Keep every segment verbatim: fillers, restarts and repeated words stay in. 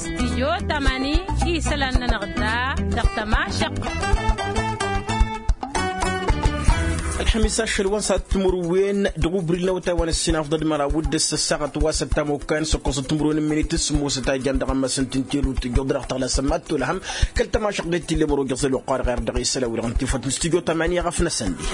Stijyo tamani isălan-nănăɣ da dăɣ-tămašăɣt. Ălxămis ašăl wa n-săt timǝrwen dăɣ-ubril n-awătay wa n-ăssinafḍăd măraw d-ǝssăssaɣăt wa s-ăttamokkan s-ăkkoẓăt timǝrwen n-minit s-ămoosăt a ijan dăɣ-ămmas n-tǝntelu tǝjjuḍ dăɣ-tăɣlasăm ad-tolhăm kăl-tămašăɣt d-ettillem ăro jăẓel oqarăɣ erdăɣ isălan wi-dăɣ n-tifăt n-stijyo tamani a ɣăf n-asăndi.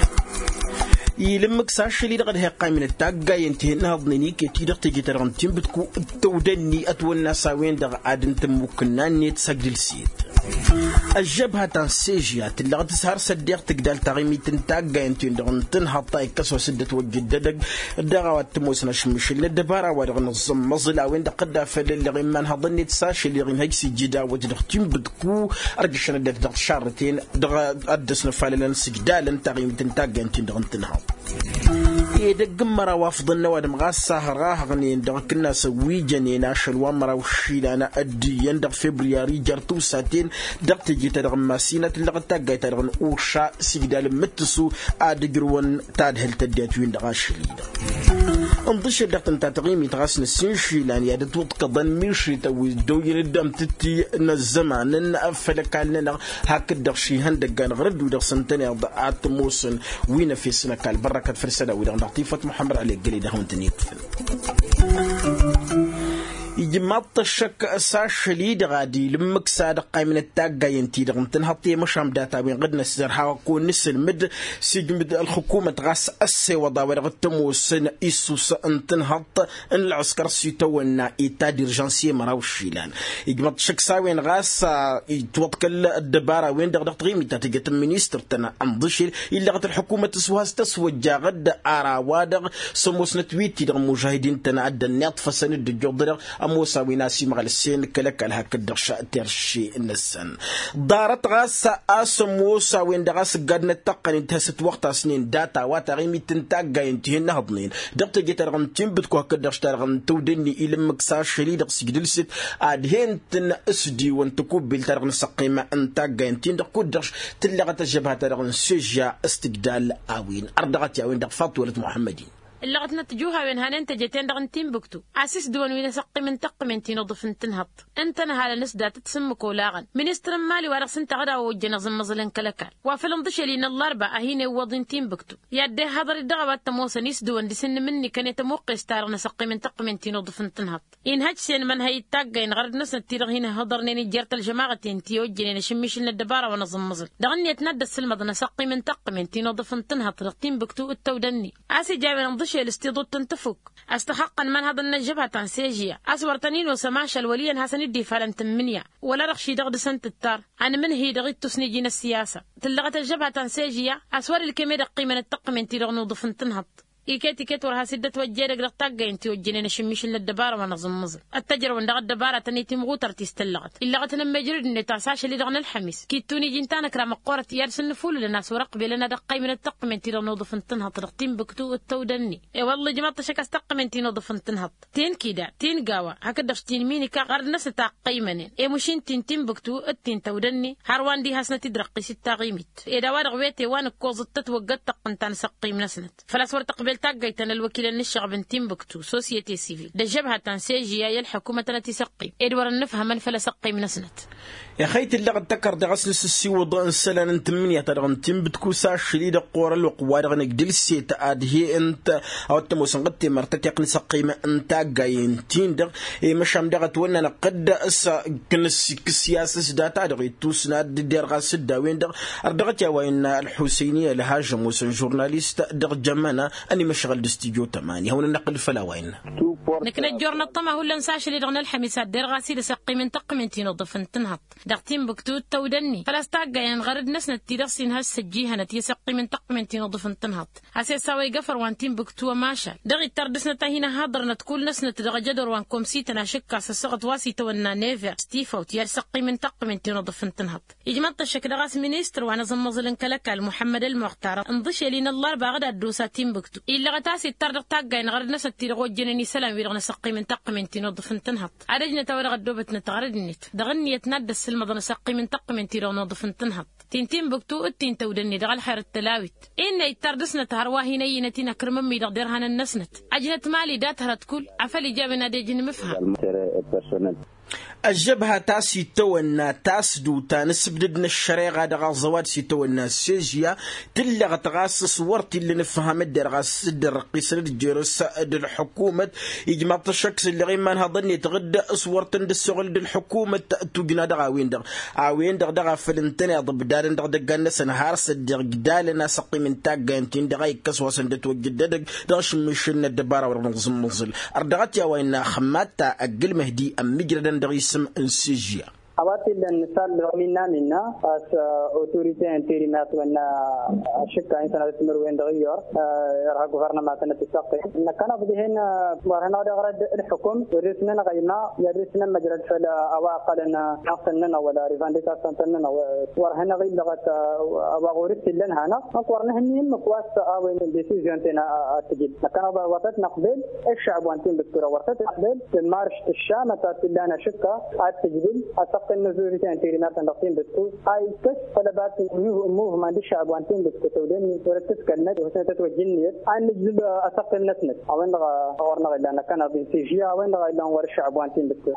Ilǝmmǝk s-ašăl-i-dăɣ d-heqqaymǝnăt taggayen ti hin-năhăḍnen iket-i-dăɣ teje-ta-dăɣ n-tinbǝtku d-tăwdănni ătwănna s-a-wen-dăɣ ad-ǝntămmukǝnna-net s-agdǝlset. Ăžžăbha ta n-sežya tǝllăɣ tǝshăr s-ăddeɣ tǝgdal taɣimit n-taggayen-ten-dăɣ n-tǝnhăḍt a ikkăs wa s-dd-ătwăjja dd-edăgg dăɣ-a-wa t-ămoosăn ašǝmmǝšǝl n-ăddăbara-wa-dăɣ n-ăẓẓămmăẓǝl a-wen-dăɣ tǝdda făll-ălleɣ imanhăḍăn-net s-ašăl-i-dăɣ inhăj s-ijjǝd awăt dăɣ-tinbǝtku ărjăšăn ăddinăt dăɣ-tišarrăten dăɣ-ad-dăr-s năfalălăn s-ǝjdalăn taɣimit n-taggayen-ten-dăɣ n-tǝnhăḍt. Edăgg n-măraw afḍăn n-ăwadǝm ɣas sahărahăɣnen dăɣ-akǝnnas ăwwijănen ašăl wa n-măraw išilan ăddiyăn dăɣ-febriyari jer-tiwsaten dăɣ-teje-ta-dăɣ n-masina tǝllăɣăt taggayt-ta-dăɣ n-uša s-igdal n-imǝttǝsu ad-ǝjrǝwăn tadhǝlt ăddinăt-win-dăɣ ašăl-i-dăɣ. Ǝnḍǝšel dăɣ-tǝnta taɣimit ɣas năssiinšilan i-ad-ătwǝḍkăḍăn mišrităn wi ăddooyăn d-amtǝtti n-ăzzăman n-făll-ăkall-nănăɣ hakd-dăɣ šihăndăggan ɣur-ăddu-dăɣ s-ǝntăneḍ ad-t-ămoosăn wi n-efes n-ăkall bărrăkăt făll-isălan-wi-dăɣ dăɣ-tifăt muḥămmăd ălleggăl-i dăɣ-hawăn-tăn-iwǝfăn. Ijmaḍ-t ăššăk s-ašăl-i-dăɣ ad-ila ǝmmǝk s-ad-ăqqaymǝnăt taggayen-ti-dăɣ n-tǝnhăḍt i-măšan data-wen ɣǝd-năssărha wa kăwăn-nǝsǝlmǝd s-ijmǝd ălxǝkumăt ɣas ăssewăḍ a-wa dăɣ-t-ămoosăn issus n-tǝnhăḍt n-ălɣǝskăr s-itawănna i-ta d-irjansi i-măraw išilan. Ijmăḍ-t šăkk s-a-wen ɣas itwăḍkăl ăddăbara-wen-dăɣ dăɣ-taɣimit ta tǝjăt n-ministăr-tăn ănḍǝšel illăɣăt ălḥukumăt s-wa s-tăswăjjaɣ-dd ar a-wa-dăɣ s-ămoosnăt wi t-dăɣ n-imužahidin-tăn ad-dd-ănniḍfăsăn dd-ǝjjuḍ-dăɣ ămoos a-wen a-s imɣălsen kăl-ăkall hakd-dăɣ šăterši-năsăn. Ḍarăt ɣas a-s ămoos a-wen-dăɣ a-s ǝggadnăt tăqqănit has-ătwăɣtasnen data-wa taɣimit n-taggayen ti hin-nǝhăḍnen dăɣ-teje-ta-dăɣ n-tinbǝtku hakd-dăɣ š-ta-dăɣ n-tăwdănni ila ǝmmǝk s-ašăl-i-dăɣ s-ǝjdǝlsǝt ad-hen-tăn-ǝsdiwăn tăkubbelt ta dăɣ-nǝsăqqim n-taggayen-tin-dăɣ kud-dăɣ tǝllăɣăt ăžžăbha ta dăɣ-nǝssežja s-tǝjdal a-wen ărdăɣăt i-a-wen-dăɣ faḍt wălăt muḥămmăd-in. Ǝllăɣăt-năt tijuhawen hanen teje-ten-dăɣ n-tinbǝktu a-s isdǝwăn wi n-asăqqim n-tăqqǝmen ti n-uḍǝf n-tǝnhăḍt ǝntănhalăn s-datăt s-ǝmmǝk olaɣăn ministăr n-imali wa dăɣ-s ǝnta ad-awăjjăn aẓǝmmăẓǝl n-kăl-ăkall wa făl ǝnḍǝšel-i n-ăllarba a hin-iwwăḍ i-n-tinbǝktu i-ad-dd-ihhăḍăr-dd dăɣ-a-wa t-ămoosăn isdǝwăn dăr-s ǝnnǝm-ni kănet ămuqqes-ta-dăɣ n-asăqqim n-tăqqǝmen ti n-uḍǝf n-tǝnhăḍt inhăj s-enmănhăy d-taggay n-ɣărăd-năsnăt ti-dăɣ hin-ǝhhăḍărnen ijjer-t ălžămaɣăten ti ojjănen ašǝmmišǝl n-ăddăbara wa n-aẓǝmmăẓǝl dăɣ-ǝnniyăt n-ad-dd-ăssǝlmăḍăn asăqqim n-tăqqǝmen ti n-uḍǝf n-tǝnhăḍt dăɣ-tinbǝktu d-tăwdănni a-s ija a-wen ǝnḍǝšel s-tiḍut n-tăfuk a-s tăxăqqăn imanhăḍăn n-ăžžăbha ta n-sežya a-s wăr tăn-in-osăm ašăl wăl' iyyăn hasăn-dd-ifalăn tǝmmǝnǝya wăla-dăɣ šidăɣ dăr-săn tǝttar anmǝnhǝy dăɣ-ittus n-iji n-ăssiyasa tǝllăɣăt ăžžăbha ta n-sežya a-s wăr-ǝlkem ed-ăqqimăn d-tăqqǝmen-ti-dăɣ n-uḍǝf n-tǝnhăḍt iket-iket wăr has-dd-ătwăjja edăgg dăɣ-taggayen ti ojjănen ašǝmmišǝl n-ăddăbara wa n-aẓǝmmǝẓǝl ăttăjrăwăn dăɣ-ăddăbara-tăn i-timɣutărt-i s-tǝllăɣăt illăɣăt n-ămmejrăd-net a-s ašăl-i-dăɣ n-ălxămis kittun iji ǝnta n-ăkra măqqoorăt i-ad-săn-nǝfulǝlăn a-s wăr-ăqbelăn ad-ăqqăymǝnăt tăqqǝmen-ti-dăɣ n-uḍǝf n-tǝnhăḍt dăɣ-tinbǝktu d-tăwdănni. I-wălla ijmăḍ-t ăššăk a-s tăqqǝmen-ti n-uḍǝf n-tǝnhăḍt ti n-kida ti n-gawa hakd-dăɣ ti n-minika ɣărd-năsnăt a ăqqăymănen i-mašin ti n-tinbǝktu d-ti n-tăwdănni hărwa n-dd-ihasnăt-dd răqqis d-taɣimit ed a-wa-dăɣ wete wa n-ǝkkoẓăt tătwăggăt-tăqqǝn ta n-asăqqim-năsnăt făl-a-s wăr tăqbel taggayt ta n-ălwăkilăn n-ǝššăɣb n-tinbǝktu sosyete sivil d-ăžžăbha ta n-sežya i-ălḥăkumăt ad-năt-isăqqim ed wăr-ănnǝfhămăn făll-asăqqim-năsnăt. Ixăy tǝllăɣăt tăkărdăɣ a-s nǝsǝssiwǝḍ n-isălan n-tǝmmǝnǝya-ta-dăɣ n-tinbǝtku s-ašăl-i-dăɣ ɣur-ălwăqq-wa-dăɣ n-agdǝlset ad-he-ǝnta a-wa t-ămoosăn ɣǝd temărt a t-iqqǝn isăqqim n-taggayen-tin-dăɣ i-măšan daɣ ătwănna năqqǝd s-kănăs-ikkǝs i-asǝs data-dăɣ ittusna d-derɣas d-a-wen-dăɣ. Ărdăɣăt i-a-wa innă ălḥusăyni ălhaž ămoos n-žurnalist dăɣ-jămăna ănimăšɣăl d-studyo tămani hawăn-ănnăqqǝl făll-a-wa innă. Nǝknăt jor năṭṭăma hullan s-ašăl-i-dăɣ n-ălxămis ad-derɣas-dd asăqqim n-tăqqǝmen ti n-uḍǝf n-tǝnhăḍt dăɣ-tinbǝktu d-tăwdănni făl-a-s taggayen ɣărăd-năsnăt ti-dăɣ s-inhăs s-ăjjihănăt i-asăqqim n-tăqqǝmen ti n-uḍǝf n-tǝnhăḍt a-s e-s a-wa iga fărwa n-tinbǝktu ămašal dăɣ-ittăr dăr-snăt a hin-ăhhăḍărnăt kull-năsnăt dăɣ-ajădor wa n-komsităn ašǝkkas ăssaɣăt wa s-itawănna never s-tifawt i-ad-săqqim n-tăqqǝmen ti n-uḍǝf n-tǝnhăḍt. Ijmăḍ-t ăššăk dăɣ-a-s ministăr wa n-aẓǝmmăẓǝl n-kăl-ăkall muḥămmăd ălmuɣtar ǝnḍǝšel-i n-ăllarba ad-ăddosa tinbǝktu illăɣăt a-s ittăr dăɣ-taggay n-ɣărăd-năsnăt ti-dăɣ ojjănen isălan-wi-dăɣ n-asăqqim n-tăqqǝmen ti n-uḍǝf n-tǝnhăḍt ad-ăjnăt a-wa dăɣ-ăddoobătnăt ɣărăd-net dăɣ-ǝnniyăt n-ad-dd-ăssǝlmăḍăn asăqqim n-tăqqǝmen ti-dăɣ n-uḍǝf n-tǝnhăḍt. Ti n-timbuktu d-ti n-tăwdănne dăɣ-ălxer d-tălawit. Innă ittar dăɣ-snăt hărwa hin-ăyyinăt-in ăkrǝmăn-mi-dăɣ derhanăn-năsnăt. Ăjnăt mali dat-hărăt kull afăl ija a-wen ad-ej n-imǝfham. Ăžžăbha ta s-itawănna tasdut ta n-asǝbdǝd n-ăššăreɣa dăɣ-aẓăwad s-itawănna s-ežya. Tǝllăɣăt ɣas s-wăr t-illa ǝfham dd-erɣ a-s dd-ărrăqqisăn d-jer-s d-ălḥukumăt. Ijmaḍ-t ăššăk s-ǝlleɣ imanhăḍăn-net ɣǝdd s-wăr tăn-dd-ăssoɣǝl d-ălḥukumăt. Tujna dăɣ-a-wen-dăɣ a-wen-dăɣ dăɣ-a făl ǝntăneḍ ǝbdadăn dăɣ-idăggan-năsăn har s-ăddiɣ igdalăn a-s ăqqim n-taggayăn-tin-dăɣ a ikkăs wa săn dd-ătwăjja ăddădăg dăɣ-ašǝmmišǝl n-ăddăbara wa dăɣ-nǝẓǝmmǝẓǝl. Ărdăɣăt i-a-wa innă xămmat ta ăgg-ǝlmăh di ămmijrădăn dăɣ-isǝm n-sižya. A-wa t-illa n-isall dăɣ-minna minna a-s autorite interimert wănna ašǝkka insănat timǝrwen dăɣ-iyyăr irha guvărnăma tănăt-isăqqe. Năkkăneḍ dihen wăr hanăɣ-dd-iɣrăd ălḥukum wăr-dăr-s nănăɣ ăyma i-ad-dăr-s nămmăjrăd făll-a-wa ăqqălăn. Năɣ tăn-nănăɣ wăla revandikasăn tăn-nănăɣ wăr hanăɣ-illăɣăt a-wa ɣur-s t-illa ănhanăɣ. Ănk wăr nǝhǝnni ǝmmǝk wa s-a-wen desizyon-ten ad-tǝjǝd năkkăneḍ wăr tăt-năqbel. Ăššăɣb wa n-tinbǝttu-dăɣ wăr tăt-năqbel. Tǝmmarš tǝššamăt ad-t-illa n-ašǝkka ad-tǝjbǝl asăqqǝn n-azuziten tirimer-tăn dăɣ-tinbǝttu a ikkăs făll-ăbat n-muvman d-ăššăɣb wa n-tinbǝttu tăwden wăr t-tǝskălnăt wăr s-năt ătwăjja ǝnniyăt. Ad-nǝjzǝb asăqqǝn-năsnăt a-wen-dăɣ a ɣur-năɣ illan năkkăneḍ-in s-ižya a-wen-dăɣ a illan ɣur-ăššăɣb wa n-tinbǝttu.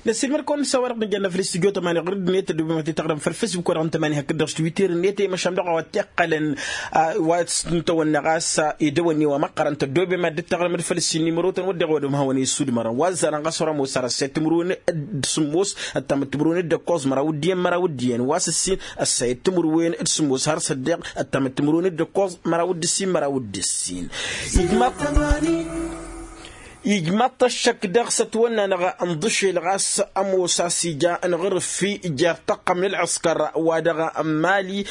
Năssiilmăr-kăwăn s-a-wa-dăɣ nǝjănna făll-istudyo tămani ɣur-dd-net ăddoobe ma t-taɣrăm făll-facebook wa dăɣ-n tămani hakd-dăɣ s-twitter-net i-măšan dăɣ-a-wa t-iqqălăn. Wa s-tǝntăwănna ɣas idăwănni wa măqqărăn tăddoobe ma dd-taɣrăm d-făll-issǝnni mărotăn wădden wa dăɣ-mahawăn isudmărăn wa ăzzarăn ɣas ărămos har ăssayăt timǝrwen d-sǝmmos ăttamăt timǝrwen d-ăkkoẓ măraw d-iyyăn măraw d-iyyăn wa s-ǝssin ăssayăt timǝrwen d-sǝmmos har s-ăddeɣ ăttamăt timǝrwen d-ăkkoẓ măraw d-ǝssin măraw d-ǝssin. Ijmaḍ-t ăššăk dăɣ-s ătwănna-năɣ n-iḍǝšel ɣas ămoos a-s ija n-iɣrǝffi jer-tăqqăm n-ălɣǝskăr wa dăɣ-n mali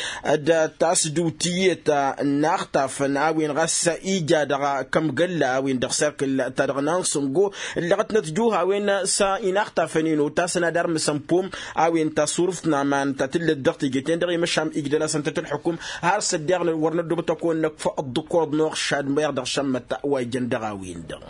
d-tasdut iyyăt n-inaxtafăn a-wen ɣas ija dăɣ-kămgălla a-wen dăɣ-serkǝl ta dăɣ-nansǝngo. Ǝllăɣătnăt juh a-wen s-inaxtafăn-in otasăn ad-armǝsăn pom a-wen tasurǝft n-aman ta tǝllăt dăɣ-teje-ten-dăɣ i-măšan igdăl-asăn tăt-ălḥukum. Har s-ăddeɣ wăr năddobăt ad-kăwăn-năkf ăḍḍǝkoḍ n-oɣšad meɣ dăɣ-šămmăt wa ijăn dăɣ-a-wen-dăɣ.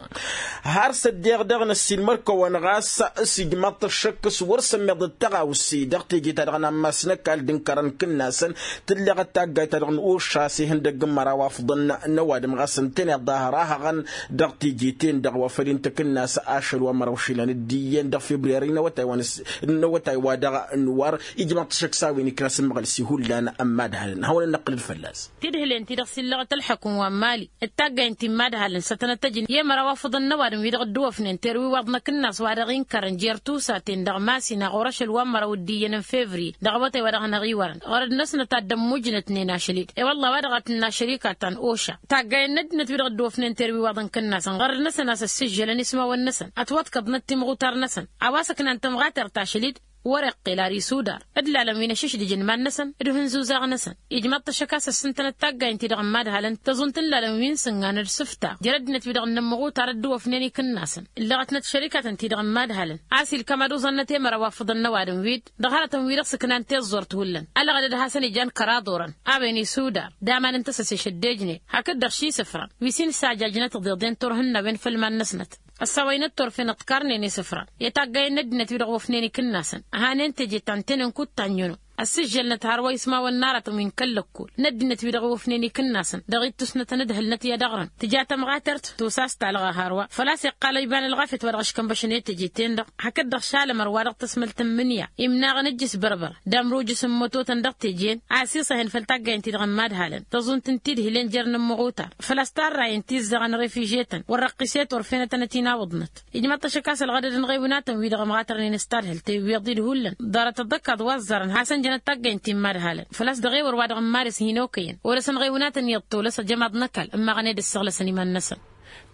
Har s-ăddeɣ dăɣ-năssiilmăr-kăwăn ɣas s-ijmaḍ-t ăššăk s-wăr sămmeḍăt tăɣawse dăɣ-teje-ta-dăɣ n-ammas n-ăkall d-ǝnkărăn kǝnnasăn. Tǝlleɣăt taggayt-ta-dăɣ n-ošas ihăndăgg n-măraw afḍăn n-ăwadǝm ɣas ǝntăneḍ dahăr a hăɣăn dăɣ-teje-ten-dăɣ wa făl intăkǝnnas ašăl wa măraw išilan d-iyyăn dăɣ-februyari n-awătay wa dăɣ-nǝwar. Ijmaḍ-t ăššăk s-a-wen ikna s-ǝmmăɣăl s-ihullan ămmadhalăn hawăn-ănnăqqǝl-dd fălla-s. Tidhǝlen-ti-dăɣ s-illăɣăt ălḥăkum wa n-mali d-taggayǝn ti n-imadhalăn s-ad-tănăt-ăjǝn i-măraw afǝḍăn n-ăwadǝm-wi-dăɣ ădduwăfnen terwi iwaḍ n-akǝnnas wa dăɣ-inkărăn jer-tusa-ten-dăɣ masinna ɣur-ašăl wa n-mărăw d-iyyăn n-fevriye dăɣ-awătay wa dăɣ-hanăɣ-iwărăn. Ɣărăd-năsnăt ad-dd-ămmujnătnen ašăl-dd i-wălla wa dăɣ-a tǝnna šărika ta n-oša taggayen n-ăddinăt-wi-dăɣ ădduwăfnen terwi iwaḍ n-akǝnnas ɣărăd-năsăn a-s ăssižžălăn ismawăn-năsăn ătwăḍkăḍnăt timɣutar-năsăn a-wa s-ǝknan tămɣatert ašăl-dd. Wăr-iqqel ar isudar d-ilalăn wi n-ašǝšdǝj n-iman-năsăn d-ihǝnzuzaɣ-năsăn. Ijmaḍ-t ăššăk a-s ăssintănăt taggayen-ti-dăɣ n-imadhalăn tăẓunt n-ilalăn wi n-sǝngan d-isǝfta jer-ăddinăt-wi-dăɣ n-inǝmmăɣutar ădduwăfnen ikǝnnasăn. Ǝllăɣătnăt šărikatăn-ti-dăɣ n-imadhalăn a-s ilkam ad-uẓănnăt i-măraw afǝḍăn n-ăwadǝm-wi-dd dăɣ-hărătăn-wi-dăɣ s-ǝknan tiẓẓurt hullan ălɣădăd a hasăn-ijan kăraḍ orăn a-wen isudar d-aman n-tăsăse šăddejnen hakd-dăɣ ši isǝfran wi s-in-sajajnăt tiḍeḍen turhǝnnawen făll-iman-năsnăt. Ăssawăynăt turfen ǝḍkarnen isǝfran i-taggayen n-ăddinăt-wi-dăɣ wăfnen ikǝnnasăn ăhanen teje ta n-tenen kud-tanjăno. Ăssižžălnăt hărwa ismawăn n-aratăn wi n-kăl-lăkkol n-ăddinăt-wi-dăɣ wăfnen ikǝnnasăn dăɣ-ittusnăt ănǝdhǝlnăt i-ad-ăɣrǝn tǝja tămɣatert tosa s-talɣa hărwa făl-a-s iqqal iba n-ălɣafyăt wa dăɣ-ăškănbăšăn i-teje-ten-dăɣ. Hakd-dăɣ šalămăr wa dăɣ-tăsmălt n-imǝnǝya imnaɣăn ǝjjǝs bărbăr d-amrujǝs n-imătotăn dăɣ-teje-en a ăsiṣăhăn făll-taggayen-ti-dăɣ n-imadhalăn tăẓunt n-tidhilen jer-inǝmmăɣutar făl-a-s tarrayăn tizzăɣăn refiže-tăn wăr-răqqis i-turfen ad-tănăt-in-awǝḍnăt. Ijmaḍ-t ăššăk a-s ălɣădăd n-iɣewnatăn-wi-dăɣ ămɣatărnen s-tadhǝlt tewwiḍ-dd hullan ḍarăt ăḍḍăkkaḍ wa ăẓẓarăn hasăn-jănăt taggayen ti n-imadhalăn făl-a-s dăɣ-ewăr wa dăɣ-n maris hin-okăyăn wăr-ăsăn ɣewnatăn iyyăḍ tolăs ăjămaḍ n-ăkall ǝmmaɣăn ed ǝssăɣlăsăn iman-năsăn.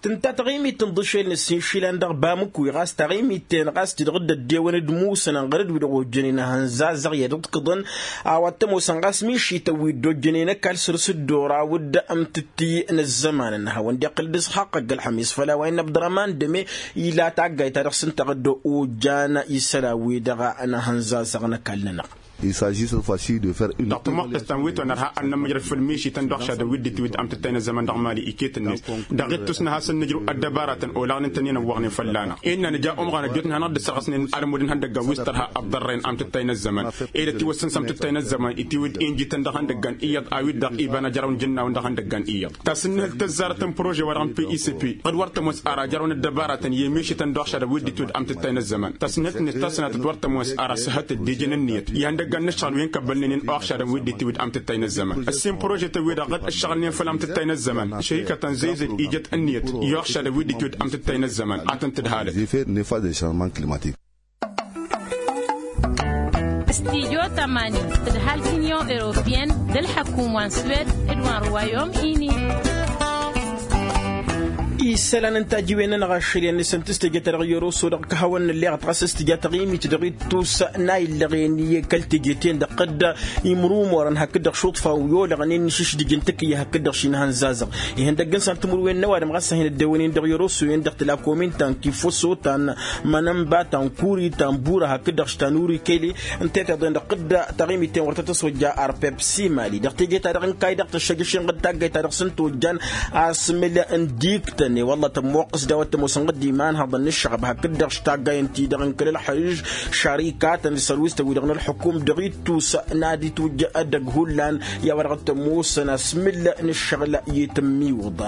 Tǝnta taɣimit n-iḍǝšel n-ǝssin išilan dăɣ-bamǝkwi ɣas taɣimit-ten ɣas ti-dăɣ dd-ăddewăn d-imusăn ănɣăr-dd wi-dăɣ ojjănen ahănzazzăɣ i-ad-ǝḍkǝḍăn. A-wa t-ămoosăn ɣas mišităn wi dd-ojjănen ăkall săr-s dd-oraw d-amtǝtti n-ăzzăman n-hawăn-dd-iqqǝl d-isxaqq ăgg-ălxămis făll-a-wa innă abdărăman dăme ila taggayt ta dăɣ-s ǝnta dd-ojan isălan-wi-dăɣ n-ahănzazzăɣ n-ăkall-nănăɣ. Dăɣ-tămoqqes ta n-wi tăwănărha ad-nămmăjrăd făll-mišităn d-uɣšadăn wi dd-itiwǝddăm tǝttay n-ăzzăman dăɣ-mali iket-net. Dăɣ-ittus n-ha s-ad-nǝjrǝw ăddăbaratăn olaɣnen-tăn-in-ăwwăɣnen fălla-năɣ. Innă nǝja umɣan ăjjootnen hanăɣ-dd-ǝssărɣăsnen almud n-ihăndăggan wi s-tărha ăḍḍărrăyăn am tǝttay n-ăzzăman. Ed ătiwăssăn s-am tǝttay n-ăzzăman itiwǝd injităn dăɣ-ihăndăggan iyyăḍ a-wi-dăɣ iba n-ajrăw n-ijǝnnawăn dăɣ-ihăndăggan iyyăḍ. Tasǝnnǝhǝlt tăzzarăt n-prože-wa-dăɣ n-picp. Ɣǝd wăr tămoos ara jarăw n-ăddăbaratăn i-mišităn d-uɣšadăn wi dd-itwǝd amtǝttay n-ăzzăman tasǝnnǝhǝlt-net ta s-sănatăt wăr tămoos ara s-ehătăt d-ijăn ǝnniyăt i-ihăndăggan n-ǝššăɣǝl wi n-kăbbălnen-in uɣšadăn wi dd-itwǝd amtǝttay n-ăzzăman. Ăssin prožetăn-wi-dăɣ ɣǝd ǝššăɣǝlnen făll-amtǝttay n-ăzzăman šărikătăn zăyzăy ijăt ǝnniyăt i-uɣšadăn wi dd-itwǝd amtǝttay n-ăzzăman. Ad-tăn-tǝdhalăt. Stijo tămani tǝdhal t-inyon europeyăn d-ălḥăkum wa n-swed d-wa n-ruwayom ini. Isălan n-tajiwen-nănăɣ ašăl i-ad-nǝsǝntǝs teje-ta-dăɣ i-oroso dăɣ-kăhawăn n-ǝlleɣăt ɣas s-tǝja taɣimit dăɣ-ittus n-a illăɣen i-kăl-teje-ten-dăɣ tăqqa-dd imrumorăn hakd-dăɣ šuṭfa wi olăɣnen n-išǝšdǝj n-tǝkǝyya hakd-dăɣ šinhăn zazăɣ. Ihăndăgg n-săn timǝrwen n-ăwadǝm ɣas a hin-ăddewănen dăɣ-i oroso-en-dăɣ tǝla komin ta n-kifoso ta n-mănănba ta n-kuri ta n-bura hakd-dăɣ š-ta n-uri kele. N-tetiḍen-dăɣ tăqqa-dd taɣimit-en wăr tăt-ăswăjja arpepsi mali dăɣ-teje-ta-dăɣ n-kayy dăɣ-tăššăjăš-en d-taggayt-ta-dăɣ s-ǝnta ojjan asmǝl n-diktăn i-wălla tămmoqqăs d-a-wa t-ămoosăn ɣǝddi imanhăḍăn n-ǝššăɣăb hakd-dăɣ š-taggay ǝnta-i-dăɣ n-kăl-ălxǝžž šarikatăn d-sărwistăn-wi-dăɣ n-ălxukum dăɣ-ittus n-ad-itwǝjj edăgg hullan i-a-wa dăɣ-t-ămoosăn asmǝl n-ǝššăɣǝl i-tǝmmiwǝḍ.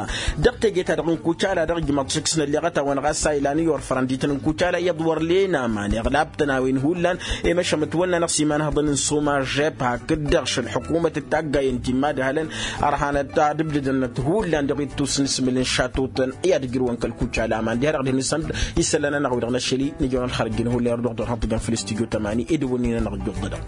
Dăɣ-teje-ta-dăɣ n-kucala dăɣ-ijmăḍ šǝks n-ălleɣăt-awăn ɣas a ilan i-orfărăn dităn n-kucala iyyăḍ wăr len aman iɣlabtăn a-wen hullan i-măšămătwănna-năɣ s-imanhăḍăn n-soma žep hakd-dăɣ šălḥukumăt d-taggay ǝnta immadhălăn ărhanăt ad-ǝbdǝdănăt hullan dăɣ-ittus n-asmǝl n-šatutăn i-ad-ǝjrǝwăn kăl-kucala aman diha-dăɣ dihen-isămd isălan-nănăɣ-wi-dăɣ n-ašăl-i nǝjăwăn ălxărăjjăn hullan irduɣ-dăɣ hăḍ tǝjăn făll-istudyo tămani ed ăwwănnin-anăɣ ăjjuḍ-dăɣ.